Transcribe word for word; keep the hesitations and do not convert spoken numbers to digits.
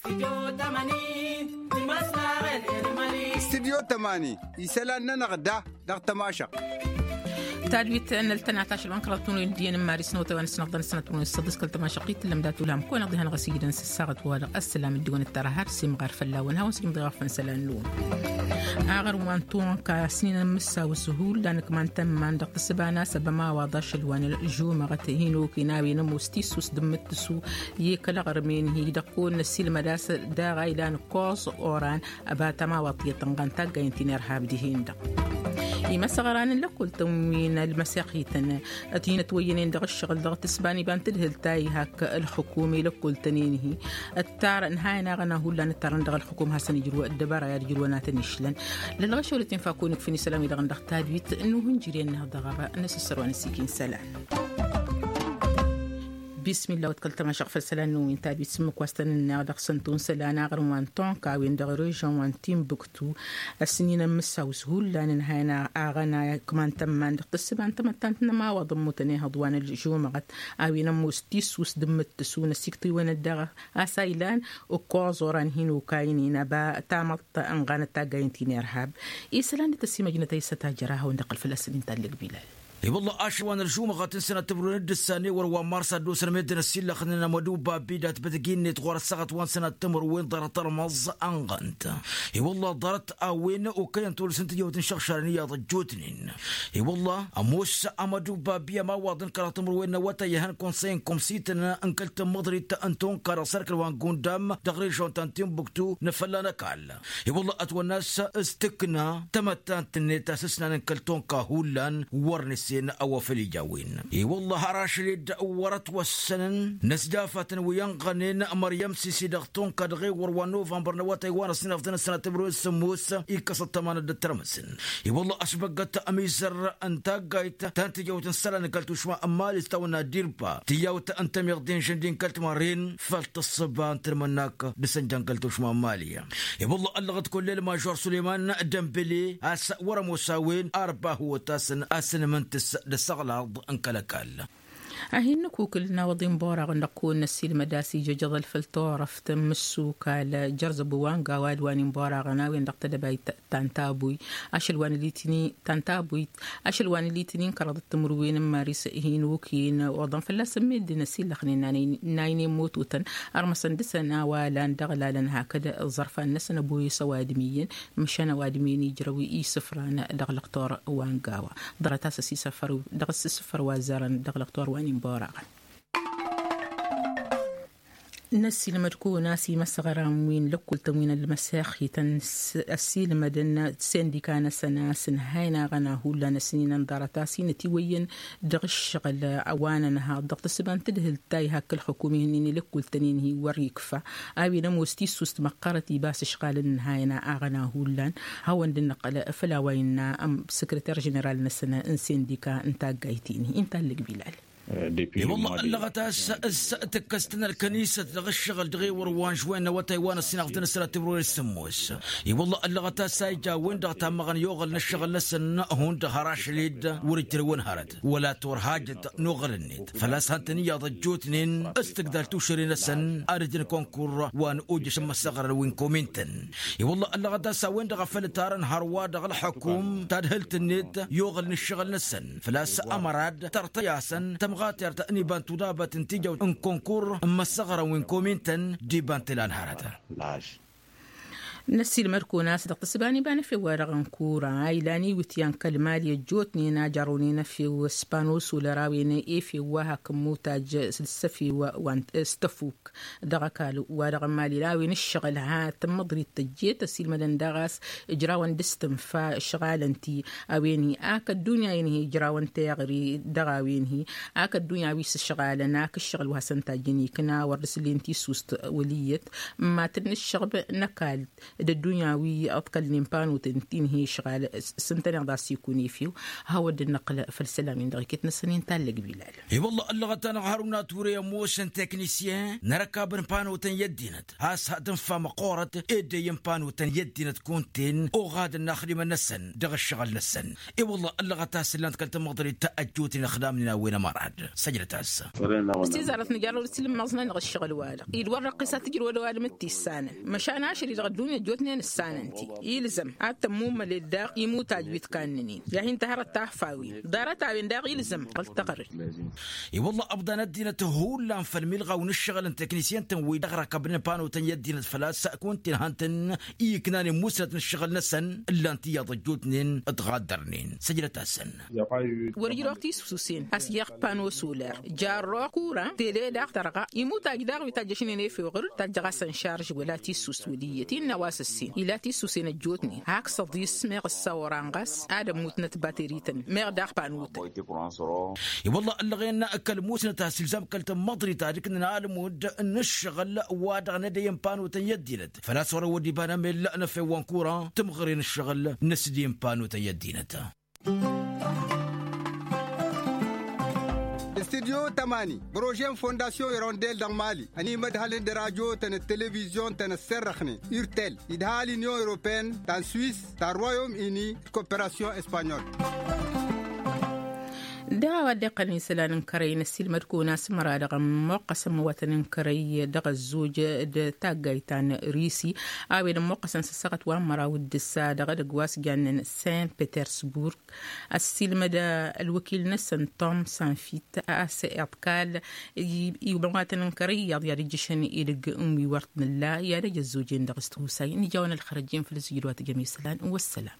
Stidyo tămani isălan-nănăɣ da dăɣ-tămašăɣt. Tadwit n-ăltănat ašăl wa n-kăraḍ tunăyăn d-iyyăn n-maris n-awătay wa n-ăssinăɣ d-anăsnăt wa n-săḍis kăl-tămašăɣt i-tǝllăm dat-ulham kăwăn-iḍihăn ɣas ijidăn s-ăssaɣăt-wa-dăɣ ăssălam d-iwăn ăttăr har s-imɣar fălla-wăn hawăn-s ijmăḍ i-wa făn isălan-năwăn. Aɣrǝm wa n-tunka s-ninăn mǝssaw s-hullan ǝkman tămman dăɣ-tǝssǝba n-asăb ămawaḍ ašăl wa n-žumăɣăt hin-oken a-wen ămoos tissus d-ǝmmǝttǝsu i-kăl-aɣrǝm-en-hi-dăɣ kăwăn-năssilmăd a-s daɣ a ilan ǝkkoẓ oran ăbat ămawaḍ tiyyăt ănɣan taggayen ti n-irhab dihen-dăɣ. Imăsăɣran n-lăkkul-tăn wi n-ălmăsexităn ătinătwăyyănen dăɣ-ǝššăɣǝl dăɣ-tǝsba n-iba n-tadhǝlt ta ihak ălxukum i-lăkkul-tăn-en-hi ǝttar ǝnhayăn aɣăna hullan ǝttarăn dăɣ-ălxukum hasăn-ijrǝw ăddăbara i-ad-ijrǝwăn ad-tăn-išlăn. Lălɣăšăwăl ătinfakun ǝkfǝn isălan-wi-dăɣ n-dăɣ tadwit n-uhǝnjǝryen-năh dăɣ-ăba n-asǝssărwa n-ăsikin isălan. Bismillah wa t-kăl-tămašăɣ făll-isălan-năwăn wi n-tadwit s-ǝmmǝk wa s-tăn-ǝnneɣ dăɣ-săn tunsălan aɣrǝm wa n-tonka a-wen dăɣ-režon wa n-timbuktu. Ăsnin ămmǝssaw s-hullan ǝnhayăn aɣăna kăman tămman dăɣ-tǝssǝba n-tamăttant n-ămawaḍ ămmutăn ihăḍ wa n-ălžumăɣăt a-wen ămoos tissus d-ǝmmǝttǝsu n-ăsiktǝwăn-dd dăɣ-a-s a ilan ǝkkoẓ oran hin-okaynen ăba tamăḍt ănɣanăt taggayen ti n-irhab. Isălan d-tăsimăjnăt a isătajăr a hawăn-dd-iqqăl fălla-săn inta ǝllǝg bilal. I-wălla ašăl wa n-ălžumăɣăt n-sănat timǝrwen d-ǝssan i-wăr wa n-mars ad-dd-osăn meddǝn ăsillăxnen amădubba bidat bădăg-innet ɣur-ăssaɣăt wa n-sănat timǝrwen ḍarăt ărmăẓ ănɣănt. I-wălla ḍarăt a-wen okăyăn tolăs n-tijăwt n-išăɣšarăn iyyăḍ ăjjootnen. I-wălla ămoos amădubba bi ămawaḍ n-kăraḍ timǝrwen n-awătay ihăn konsăy n-komsităn n-kăl-tămmăḍrit n-tunka dăɣ-sărkăl wa n-gundam dăɣ-režon ta n-timbuktu n-fălla n-ăkall. I-wălla ătwănna a-s s-tǝkna tamăttant-net a-s ǝsnan n-kăl-tonka hullan wăr nǝsen a-wa făl ija a-wen. I-wălla har ašăl-dd wăr-ătwăssănăn n-ăsdafatăn wi ănɣănen măryăm sisi dăɣ-tonka dăɣ-ewăr wa n-novămbăr n-awătay wa n-ăssinăfdăn ăssinăt timǝrwen s-sǝmmos ikkăs ăṭṭămanăt d-ăttărmăsăn. I-wălla ăsbăggăt amizăr n-taggayt ta n-tijăwt n-isălan n-kăl-tušma n-mali s-tawănna dirba tijăwt n-tămiḍt d-inžǝn d-inkăl timărren făll-tǝssǝba n-tǝlmănnak d-sănja n-kăl-tušma n-mali. I-wălla ăllăɣăt kull-el mažor suleyman dămbele a-s wăr-ămoos a-wen ărba hăwăt-asăn a-s ǝnmǝntǝs d-asăɣlaḍ n-kăl-ăkall. Ad-hin-nǝkukǝl n-awăḍi n-boraɣăn dăɣ-kăwăn-năsilmăd a-s ijăjăḍăl făll-turăft n-imǝssukal jărzăb wa n-gawa d-wa n-inboraɣăn a-wen dăɣ-tedăbayt ta n-tabuy ašăl wa n-litinin ta n-tabuy ašăl wa n-litinin kăraḍăt timǝrwen n-maris hin-okăyăn oḍăn fălla-săn meddǝn ăsillăxnen n-aynen mototăn ărmăsăn dăɣ-săn a-wa lan dăɣ-lalăn hakd ẓărfan-năsăn ăboyăs ăwadǝm iyyăn măšan ăwadǝm iyyăn ijrăw isǝfran dăɣ-lăqtor wa n-gawa. Ḍarăt a-s ăsisăfăr dăɣ-s isǝfăr wa ăzzarăn dăɣ-lăqtor wa n-inboraɣăn. Năssiilmăd-kăwăn a-s imăsɣăran wi n-lăkkultăn wi n-ălmăsexităn ăssiilmădăn sindika-năsăn a-s ǝnhayăn aɣăna hullan ăsninăn ḍarăt a-s inătiwăyyăn dăɣ-ǝššăɣǝl a-wa nănhăḍ dăɣ-tǝssǝba n-tǝdhǝlt ta iha kăl-xǝkum ihǝnnin i-lăkkultăn-in-hi wăr-ikfa a-wen ămoos tissust măqqărăt ibas ǝšɣalăn ǝnhayăn aɣăna hullan. Hawăn-dd-nǝqqăl făll-a-wa innă ămm săkrăter ženeral-năsăn n-sindika n-taggayt-in-hi inta ǝllǝg bilal. I-wălla ăllăɣăt a-s s-tǝkkăs-tăn ălkănisăt dăɣ-ǝššăɣǝl dăɣ-ewăr wa n-žwen n-awătay wa n-ăssinăɣ d-tăn-ăssinăt timǝrwen s-sǝmmos. I-wălla ăllăɣăt a-s a ija a-wen-dăɣ tammăɣăn i-oɣăl n-ǝššăɣǝl-năsăn hundăɣ har ašăl-dd wăr-ǝjrăwăn hărăt wăla torhajăt n-oɣăl-net făl-a-s hăn-tăn iyyăḍ ăjjootnen s-tǝgdal tušăre-năsăn ad-ǝjǝn kăwăn-kurra wa n-ojăš n-imăssăɣrăn wi n-komintăn. I-wălla ăllăɣăt a-s a-wen-dăɣ a făl ǝtarăn hărwa dăɣ-ălxukum tadhǝlt-net i-oɣăl n-ǝššăɣǝl-năsăn făl-a-s ămărad tărtăy-asăn tămɣatert n-iba n-tudabăt n-tijăwt n-kăwăn-kurra n-imăssăɣrăn wi n-komintăn d-iba n-tǝla n-hărăt. Năssiilmăd-kăwăn a-s dăɣ-tǝssǝba n-iba n-efew wa dăɣ-ănkura a ilan iwǝtyan kăl-mali ăjjootnen a jărrăwnen efew s-pano solar a-wen efew wa hak n-mutaj s-efew wa s-tăfuk dăɣ-ăkall wa dăɣ-ămali a-wen ǝššăɣǝl ha tămmăḍrit tăjjet ăsiilmădăn daɣ a-s ǝjrawăn d-s-tǝnfa ǝšɣalăn-ti a-wen-hi ak ăddunya-in-hi ǝjrawăn teɣri dăɣ-a-wen-hi ak ăddunya wi s-ǝšɣalăn ak ǝššăɣǝl wa hasăn-tajjăn ikna wăr dăr-s ǝllen tissust wăl' iyyăt ǝmmatăn n-ǝššăɣb n-ăkall. d-ăddunya wi ăḍkălnen panotăn ti n-hi-išɣal s-ǝntăneḍ a-s ikun efew. Hawăd-năqqǝl făll-isălan-win-dăɣ iket-năsăn intallăg bilal. I-wălla ăllăɣăt-anăɣ hăruna ture i-ămoosăn teknisyen n-erăkab n-panotăn i-ăddinăt has-ha tǝnfa măqqoorăt ed ăyy n-panotăn i-ăddinăt kunta-en oɣadăn n-axdimăn-năsăn dăɣ-ǝššăɣǝl-năsăn. I-wălla ăllăɣăt a-s ǝllan-t kăl-tamăḍrit ta ăjjootnen ăxdamnen a-wen ămărad. Săjdăt-as. S-tizarăt nǝjarrăw d-asilǝmmăẓnen dăɣ-ǝššăɣǝl-wa-dăɣ idwăr răqqis ad-tǝjrǝw ădăwalăm d-tissanăn măšan ašăl-i dăɣ-ăddunya ăjjootnen ǝssanăn-t-i. Ilzăm ad-tămmummăled daɣ imutaj wi t-kannănen i-ad-hin-tăhărăt tahfawen ḍarăt-a-wen daɣ ilzăm ăltăɣrǝd. I-wălla ăbḍan ăddinăt hullan făll-milɣaw n-ǝššăɣǝl n-teknisyăn-tăn wi dăɣ-răkăbnen panotăn i-ăddinăt făl-a-s kunta-en han-tăn-iknanen musnăt n-ǝššăɣǝl-năsăn ǝllan-t iyyăḍ ăjjootnen ătɣaddărnen. Săjdăt-asăn. Wăr-ijrăɣ tisusen a-s jeɣ pano soler jarrăɣ kuran tele daɣ tărɣa imutaj daɣ wi tajjăšnen efeɣ ɣǝr tajjăɣ-asăn šarž wăla tisus wăl' iyyăt innă a-wa s-ǝssin ila tisusen ăjjootnen hak săḍis meɣ ǝssawăran ɣas ad-ămmutnăt baterităn meɣ daɣ panotăn. I-wălla ăllăɣen kăl-musnăt a-s ilzam kăl-tămmăḍrit ad-ǝknăn almud n-ǝššăɣǝl wa dăɣ-nădăyăn panotăn i-ăddinăt făl-a-s wăr-ăwwăd iba n-amellăɣ n-efew wa n-kuran tǝmɣăre n-ǝššăɣǝl n-ăsdin panotăn i-ăddinăt. Studyo tămani bărožen fondasyon irondel dăɣ-mali ănimădhălăn d-radyo-tăn d-televizyon-tăn ăsserrăxnen urtel idhal inyon europeen ta n-swis ta n-royom ini d-koperasyon espanyol. Dăɣ-a-wa dd-iqqălăn isălan n-kărăy n-ăssiilmăd-kăwăn-as măra dăɣ-ămmoqqăsăn măwatăn n-kărăy dăɣ-ăzzoj d-taggayt ta n-risi a-wen ămmoqqăsăn s-ăssaɣăt wa n-măraw d-ǝssa dăɣ-edăgg wa s-jannen saint petersburg. Ăssiilmăd ălwăkil-năsăn tom sanfit a-s iḍkal i-măwatăn n-kărăy iyyăḍ i-ad-ǝjjǝšăn edăgg n-wi wăr t-nǝlla i-ad-ăj ăzzoj-en dăɣ-s tihusay n-ija-wăn ălxărăj-en făll-ǝzzǝjǝd wa tǝjăm isălan. Wăssălam.